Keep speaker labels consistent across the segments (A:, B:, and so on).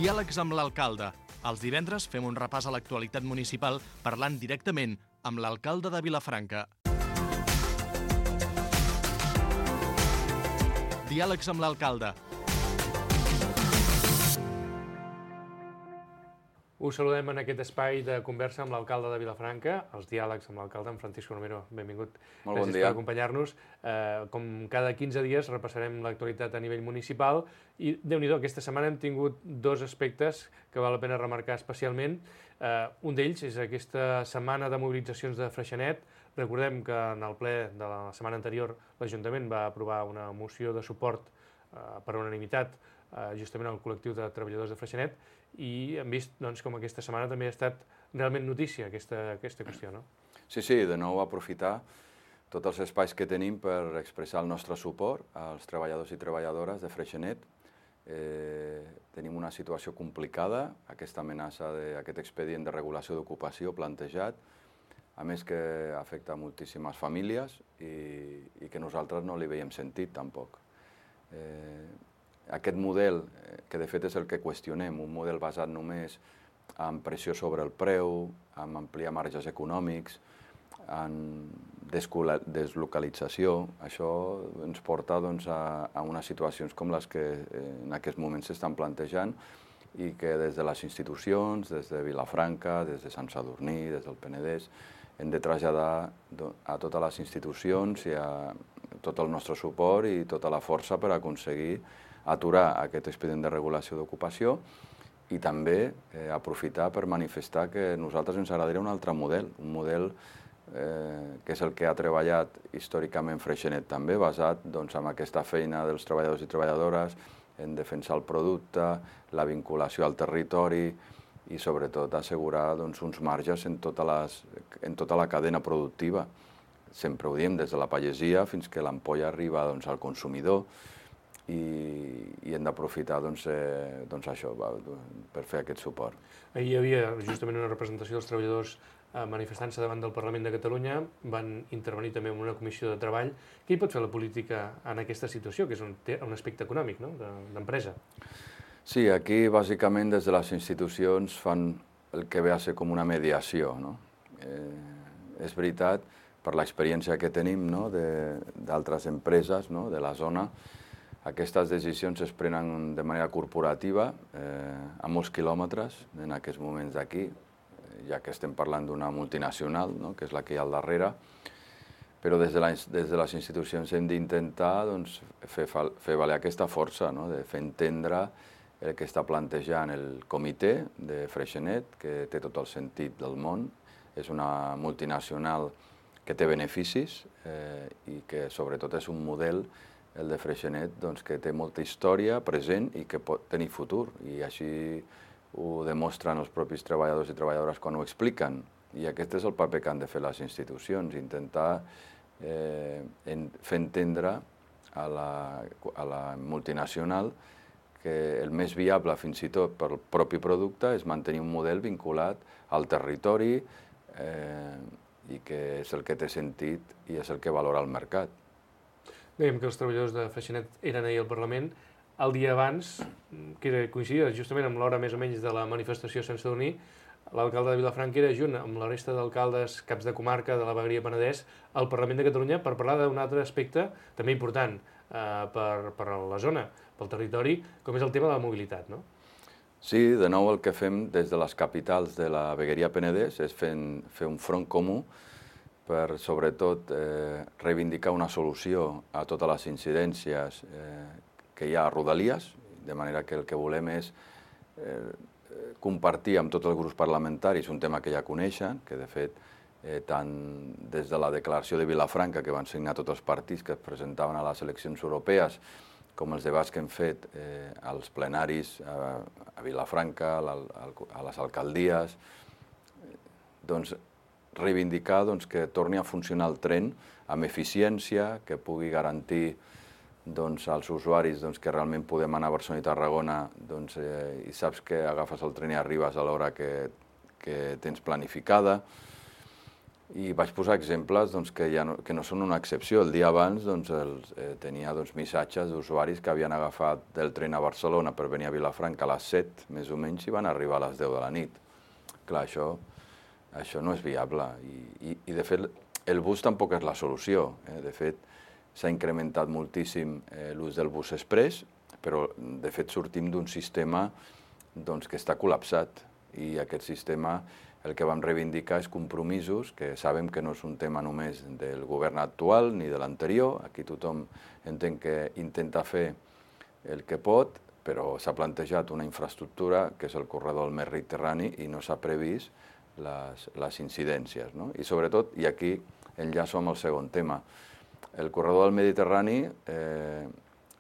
A: Diàlegs amb l'alcalde. Els divendres fem un repàs a l'actualitat municipal parlant directament amb l'alcalde de Vilafranca. Diàlegs amb l'alcalde.
B: Us saludem en aquest espai de conversa amb l'alcalde de Vilafranca, els diàlegs amb l'alcalde, en Francisco Romero. Benvingut.
C: Molt bon dia.
B: Gràcies per acompanyar-nos. Com cada 15 dies repassarem l'actualitat a nivell municipal i, déu-n'hi-do, aquesta setmana hem tingut dos aspectes que val la pena remarcar especialment. Un d'ells és aquesta setmana de mobilitzacions de Freixenet. Recordem que en el ple de la setmana anterior l'Ajuntament va aprovar una moció de suport per unanimitat justament al col·lectiu de treballadors de Freixenet i hem vist com aquesta setmana també ha estat realment notícia aquesta qüestió, no?
C: Sí, de nou aprofitar tots els espais que tenim per expressar el nostre suport als treballadors i treballadores de Freixenet. Tenim una situació complicada, aquesta amenaça d'aquest expedient de regulació d'ocupació plantejat, a més que afecta moltíssimes famílies i que nosaltres no li veiem sentit tampoc. Aquest model, que de fet és el que qüestionem, un model basat només en pressió sobre el preu, en ampliar marges econòmics, en deslocalització, això ens porta a unes situacions com les que en aquests moments s'estan plantejant i que des de les institucions, des de Vilafranca, des de Sant Sadurní, des del Penedès, hem de traslladar a totes les institucions i a tot el nostre suport i tota la força per aconseguir aturar aquest expedient de regulació d'ocupació i també aprofitar per manifestar que a nosaltres ens agradaria un altre model, un model que és el que ha treballat històricament Freixenet també, basat en aquesta feina dels treballadors i treballadores, en defensar el producte, la vinculació al territori i sobretot assegurar uns marges en tota la cadena productiva. Sempre ho diem, des de la pagesia fins que l'ampolla arriba al consumidor, i hem d'aprofitar això per fer aquest suport.
B: Ahir hi havia justament una representació dels treballadors manifestant-se davant del Parlament de Catalunya, van intervenir també en una comissió de treball. Què hi pot fer la política en aquesta situació, que és un aspecte econòmic, no?, d'empresa?
C: Sí, aquí bàsicament des de les institucions fan el que ve a ser com una mediació, no? És veritat, per l'experiència que tenim d'altres empreses de la zona, aquestes decisions es prenen de manera corporativa a molts quilòmetres en aquests moments d'aquí, ja que estem parlant d'una multinacional, que és la que hi ha al darrere, però des de les institucions hem d'intentar fer valer aquesta força, de fer entendre el que està plantejant el comitè de Freixenet, que té tot el sentit del món. És una multinacional que té beneficis i que sobretot és un model, el de Freixenet, que té molta història present i que pot tenir futur, i així ho demostren els propis treballadors i treballadores quan ho expliquen. I aquest és el paper que han de fer les institucions, intentar fer entendre a la multinacional que el més viable, fins i tot pel propi producte, és mantenir un model vinculat al territori i que és el que té sentit i és el que valora el mercat.
B: Dèiem que els treballadors de Freixenet eren ahir al Parlament. El dia abans, que coincidia justament amb l'hora més o menys de la manifestació a Sant Sadurní, l'alcalde de Vilafranca era junt amb la resta d'alcaldes, caps de comarca de la vegueria Penedès al Parlament de Catalunya per parlar d'un altre aspecte també important per a la zona, pel territori, com és el tema de la mobilitat, no?
C: Sí, de nou el que fem des de les capitals de la vegueria Penedès és fer un front comú per, sobretot, reivindicar una solució a totes les incidències que hi ha a Rodalies, de manera que el que volem és compartir amb tots els grups parlamentaris un tema que ja coneixen, que de fet, tant des de la declaració de Vilafranca, que van signar tots els partits que es presentaven a les eleccions europees, com els debats que hem fet als plenaris a Vilafranca, a les alcaldies, reivindicar que torni a funcionar el tren amb eficiència, que pugui garantir als usuaris que realment podem anar a Barcelona i Tarragona i saps que agafes el tren i arribes a l'hora que tens planificada, I vaig posar exemples que no són una excepció. El dia abans tenia missatges d'usuaris que havien agafat del tren a Barcelona per venir a Vilafranca a les 7, més o menys, i van arribar a les 10 de la nit. Clar, això no és viable. I de fet, el bus tampoc és la solució. De fet, s'ha incrementat moltíssim l'ús del bus express, però de fet sortim d'un sistema que està col·lapsat. I aquest sistema el que vam reivindicar és compromisos, que sabem que no és un tema només del govern actual ni de l'anterior. Aquí tothom entén que intenta fer el que pot, però s'ha plantejat una infraestructura que és el corredor del Mediterrani i no s'ha previst les incidències. I sobretot, i aquí enllaço amb el segon tema, el corredor del Mediterrani,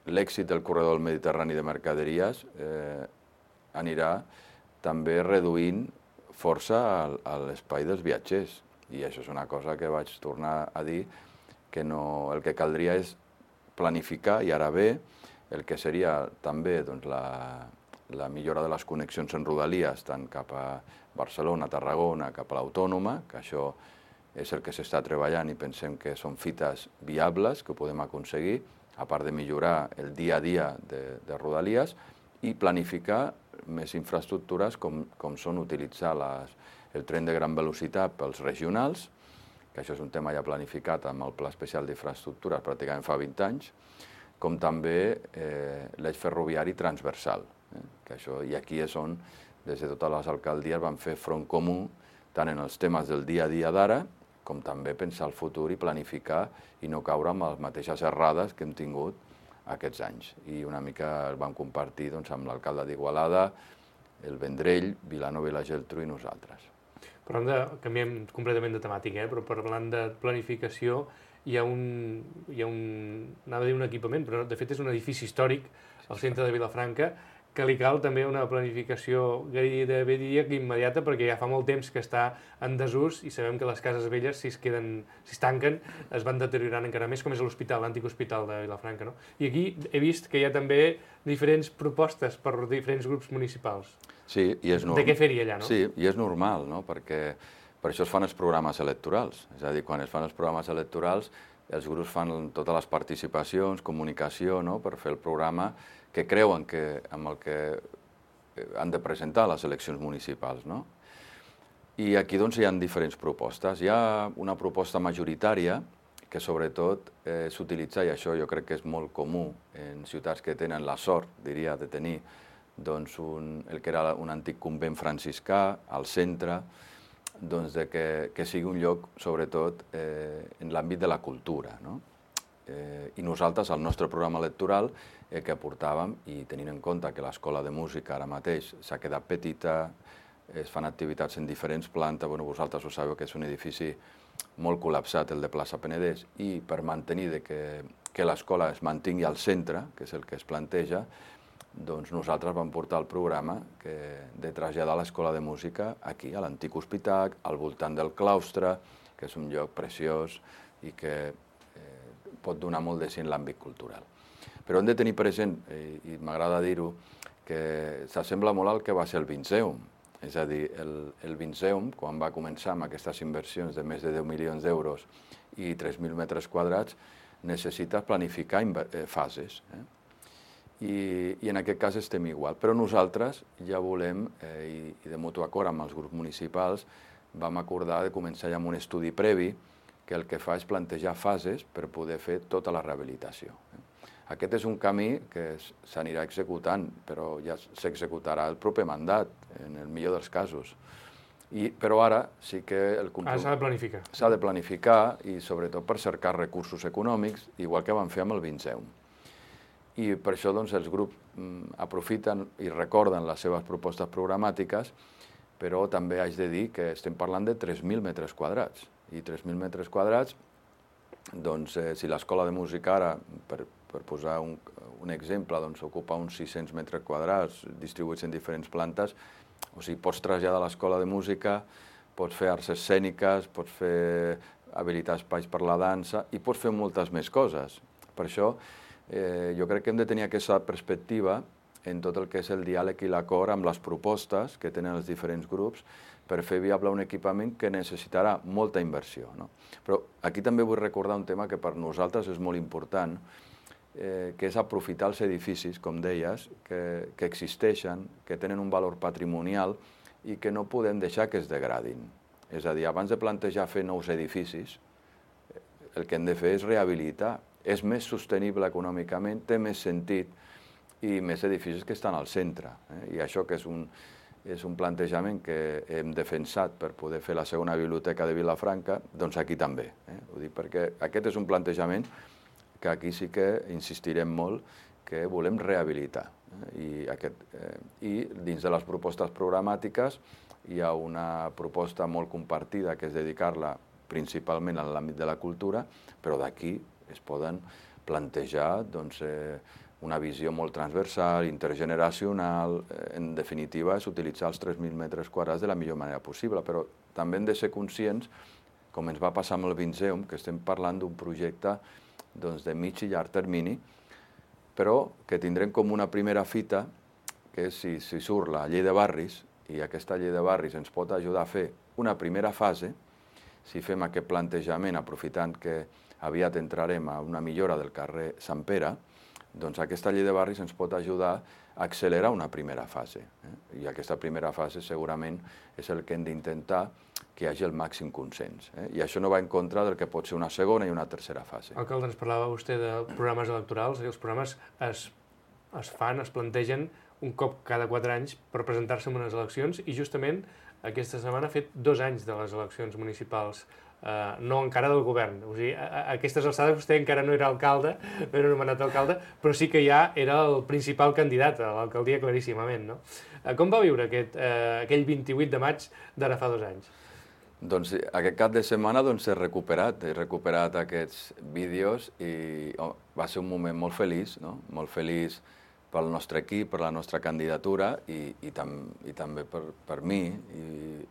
C: l'èxit del corredor del Mediterrani de mercaderies anirà també reduint força a l'espai dels viatgers. I això és una cosa que vaig tornar a dir, que el que caldria és planificar, i ara ve, el que seria també la millora de les connexions en rodalies, tant cap a Barcelona, Tarragona, cap a l'Autònoma, que això és el que s'està treballant i pensem que són fites viables que ho podem aconseguir, a part de millorar el dia a dia de rodalies, i planificar més infraestructures com són utilitzar el tren de gran velocitat pels regionals, que això és un tema ja planificat amb el Pla Especial d'Infraestructures pràcticament fa 20 anys, com també l'eix ferroviari transversal. I aquí és on, des de totes les alcaldies, van fer front comú, tant en els temes del dia a dia d'ara, com també pensar el futur i planificar i no caure amb les mateixes errades que hem tingut aquests anys. I una mica el vam compartir amb l'alcalde d'Igualada, el Vendrell, Vilanova i la Geltrú i nosaltres.
B: Canviem completament de temàtica, però parlant de planificació, hi ha anava a dir un equipament, però de fet és un edifici històric al centre de Vilafranca, que li cal també una planificació gairebé diria que immediata, perquè ja fa molt temps que està en desús i sabem que les cases velles, si es tanquen, es van deteriorant encara més, com és l'hospital, l'antic hospital de Vilafranca. I aquí he vist que hi ha també diferents propostes per diferents grups municipals.
C: Sí, i és normal.
B: De què fer-hi allà, no?
C: Sí, i és normal, no? Perquè per això es fan els programes electorals. És a dir, quan es fan els programes electorals, els grups fan totes les participacions, comunicació, per fer el programa que creuen amb el que han de presentar les eleccions municipals. I aquí hi ha diferents propostes. Hi ha una proposta majoritària que sobretot s'utilitza, i això jo crec que és molt comú en ciutats que tenen la sort, diria, de tenir el que era un antic convent franciscà al centre, que sigui un lloc, sobretot, en l'àmbit de la cultura. I nosaltres, al nostre programa electoral, el que aportàvem, i tenint en compte que l'escola de música ara mateix s'ha quedat petita, es fan activitats en diferents plantes, vosaltres ho sabeu que és un edifici molt col·lapsat, el de Plaça Penedès, i per mantenir que l'escola es mantingui al centre, que és el que es planteja, nosaltres vam portar el programa de traslladar l'escola de música aquí, a l'antic hospital, al voltant del claustre, que és un lloc preciós i que pot donar molt de sí en l'àmbit cultural. Però hem de tenir present, i m'agrada dir-ho, que s'assembla molt al que va ser el Vinceum. És a dir, el Vinceum, quan va començar amb aquestes inversions de més de 10 milions d'euros i 3.000 metres quadrats, necessita planificar fases. I en aquest cas estem igual. Però nosaltres ja volem, i de mutu acord amb els grups municipals, vam acordar de començar ja amb un estudi previ que el que fa és plantejar fases per poder fer tota la rehabilitació. Aquest és un camí que s'anirà executant, però ja s'executarà el proper mandat, en el millor dels casos. Però ara sí que el
B: compromís... S'ha de planificar.
C: S'ha de planificar i sobretot per cercar recursos econòmics, igual que van fer amb el Vinceum. I per això els grups aprofiten i recorden les seves propostes programàtiques, però també haig de dir que estem parlant de 3.000 metres quadrats. I 3.000 metres quadrats, si l'escola de música ara, per posar un exemple, ocupa uns 600 metres quadrats distribuïts en diferents plantes, o sigui, pots traslladar l'escola de música, pots fer arts escèniques, pots fer habilitar espais per la dansa i pots fer moltes més coses. Per això jo crec que hem de tenir aquesta perspectiva en tot el que és el diàleg i l'acord amb les propostes que tenen els diferents grups, per fer viable un equipament que necessitarà molta inversió, no? Però aquí també vull recordar un tema que per nosaltres és molt important, que és aprofitar els edificis, com deies, que existeixen, que tenen un valor patrimonial i que no podem deixar que es degradin. És a dir, abans de plantejar fer nous edificis, el que hem de fer és rehabilitar. És més sostenible econòmicament, té més sentit i més edificis que estan al centre. I això que és un plantejament que hem defensat per poder fer la segona biblioteca de Vilafranca, doncs aquí també. Ho dic perquè aquest és un plantejament que aquí sí que insistirem molt que volem rehabilitar. I dins de les propostes programàtiques hi ha una proposta molt compartida que és dedicar-la principalment a l'àmbit de la cultura, però d'aquí es poden plantejar una visió molt transversal, intergeneracional. En definitiva, és utilitzar els 3.000 metres quadrats de la millor manera possible, però també hem de ser conscients, com ens va passar amb el Vinceum, que estem parlant d'un projecte de mig i llarg termini, però que tindrem com una primera fita, que és si surt la llei de barris, i aquesta llei de barris ens pot ajudar a fer una primera fase, si fem aquest plantejament, aprofitant que aviat entrarem a una millora del carrer Sant Pere, doncs aquesta llei de barris ens pot ajudar a accelerar una primera fase. I aquesta primera fase segurament és el que hem d'intentar que hi hagi el màxim consens. I això no va en contra del que pot ser una segona i una tercera fase.
B: Alcalde, ens parlava vostè de programes electorals, i els programes es plantegen un cop cada 4 anys per presentar-se en unes eleccions, i justament aquesta setmana ha fet 2 anys de les eleccions municipals, no encara del govern. O sigui, a aquestes alçades vostè encara no era alcalde, no era nomenat alcalde, però sí que ja era el principal candidat a l'alcaldia claríssimament, no? Com va viure aquell 28 de maig d'ara fa 2 anys?
C: Doncs aquest cap de setmana he recuperat aquests vídeos i va ser un moment molt feliç, no? Molt feliç pel nostre equip, per la nostra candidatura i també per mi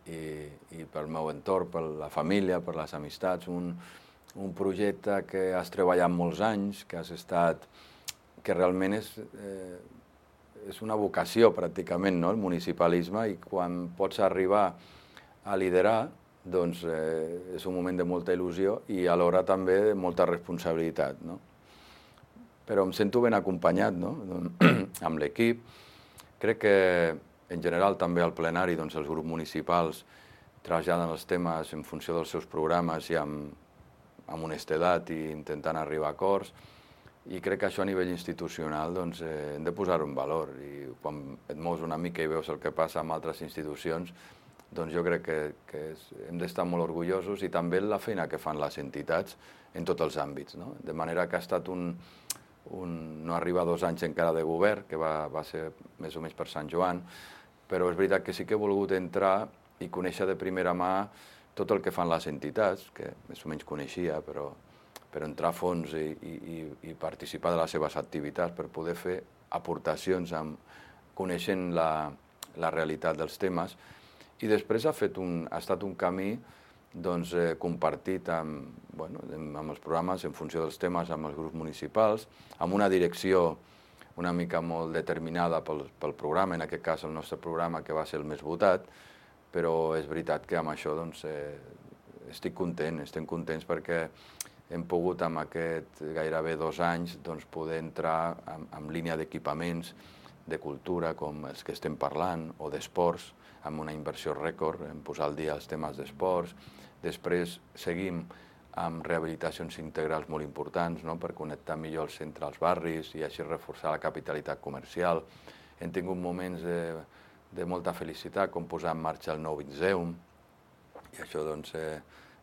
C: i pel meu entorn, per la família, per les amistats. Un projecte que has treballat molts anys, que realment és una vocació pràcticament, no? El municipalisme, i quan pots arribar a liderar, doncs és un moment de molta il·lusió i alhora també de molta responsabilitat, no? Però em sento ben acompanyat, no? Amb l'equip. Crec que, en general, també al plenari, els grups municipals traslladen els temes en funció dels seus programes i amb honestedat i intentant arribar a acords. I crec que això a nivell institucional hem de posar-ho en valor. I quan et mous una mica i veus el que passa amb altres institucions, doncs jo crec que hem d'estar molt orgullosos, i també la feina que fan les entitats en tots els àmbits, no? De manera que ha estat no arriba 2 anys encara de govern, que va ser més o menys per Sant Joan, però és veritat que sí que he volgut entrar i conèixer de primera mà tot el que fan les entitats, que més o menys coneixia, però entrar a fons i participar de les seves activitats per poder fer aportacions coneixent la realitat dels temes. I després ha estat un camí compartit amb els programes en funció dels temes, amb els grups municipals, amb una direcció una mica molt determinada pel programa, en aquest cas el nostre programa, que va ser el més votat, però és veritat que amb això estem contents perquè hem pogut amb aquest gairebé 2 anys poder entrar en línia d'equipaments de cultura com els que estem parlant, o d'esports, amb una inversió rècord, en posar al dia els temes d'esports. Després seguim amb rehabilitacions integrals molt importants, no?, per connectar millor el centre als barris i així reforçar la capitalitat comercial. Hem tingut moments de molta felicitat, com posar en marxa el nou Vinceum, i això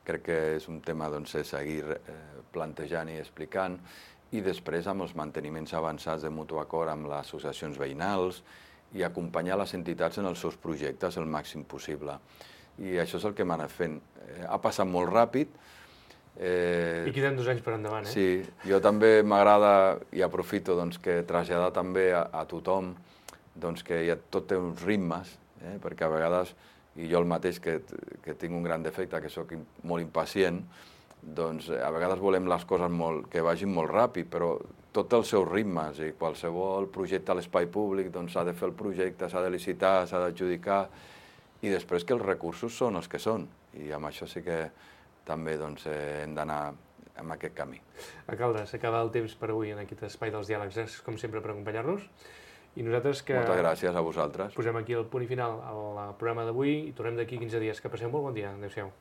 C: crec que és un tema a seguir plantejant i explicant. I després amb els manteniments avançats de mutu acord amb les associacions veïnals i acompanyar les entitats en els seus projectes el màxim possible. I això és el que hem anat fent. Ha passat molt ràpid.
B: I queden 2 anys per endavant, eh?
C: Sí, jo també m'agrada i aprofito que traslladar també a tothom que tot té uns ritmes, perquè a vegades, i jo el mateix que tinc un gran defecte, que sóc molt impacient, a vegades volem les coses que vagin molt ràpid, però tots els seus ritmes, i qualsevol projecte a l'espai públic s'ha de fer el projecte, s'ha de licitar, s'ha d'adjudicar, i després que els recursos són els que són, i amb això sí que també doncs, hem d'anar en aquest camí.
B: Alcalde, s'acaba el temps per avui en aquest espai dels diàlegs. Gràcies, com sempre, per acompanyar-nos. I nosaltres que
C: Moltes gràcies a vosaltres.
B: posem aquí el punt i final al programa d'avui i tornem d'aquí 15 dies. Que passeu molt bon dia. Adéu-siau.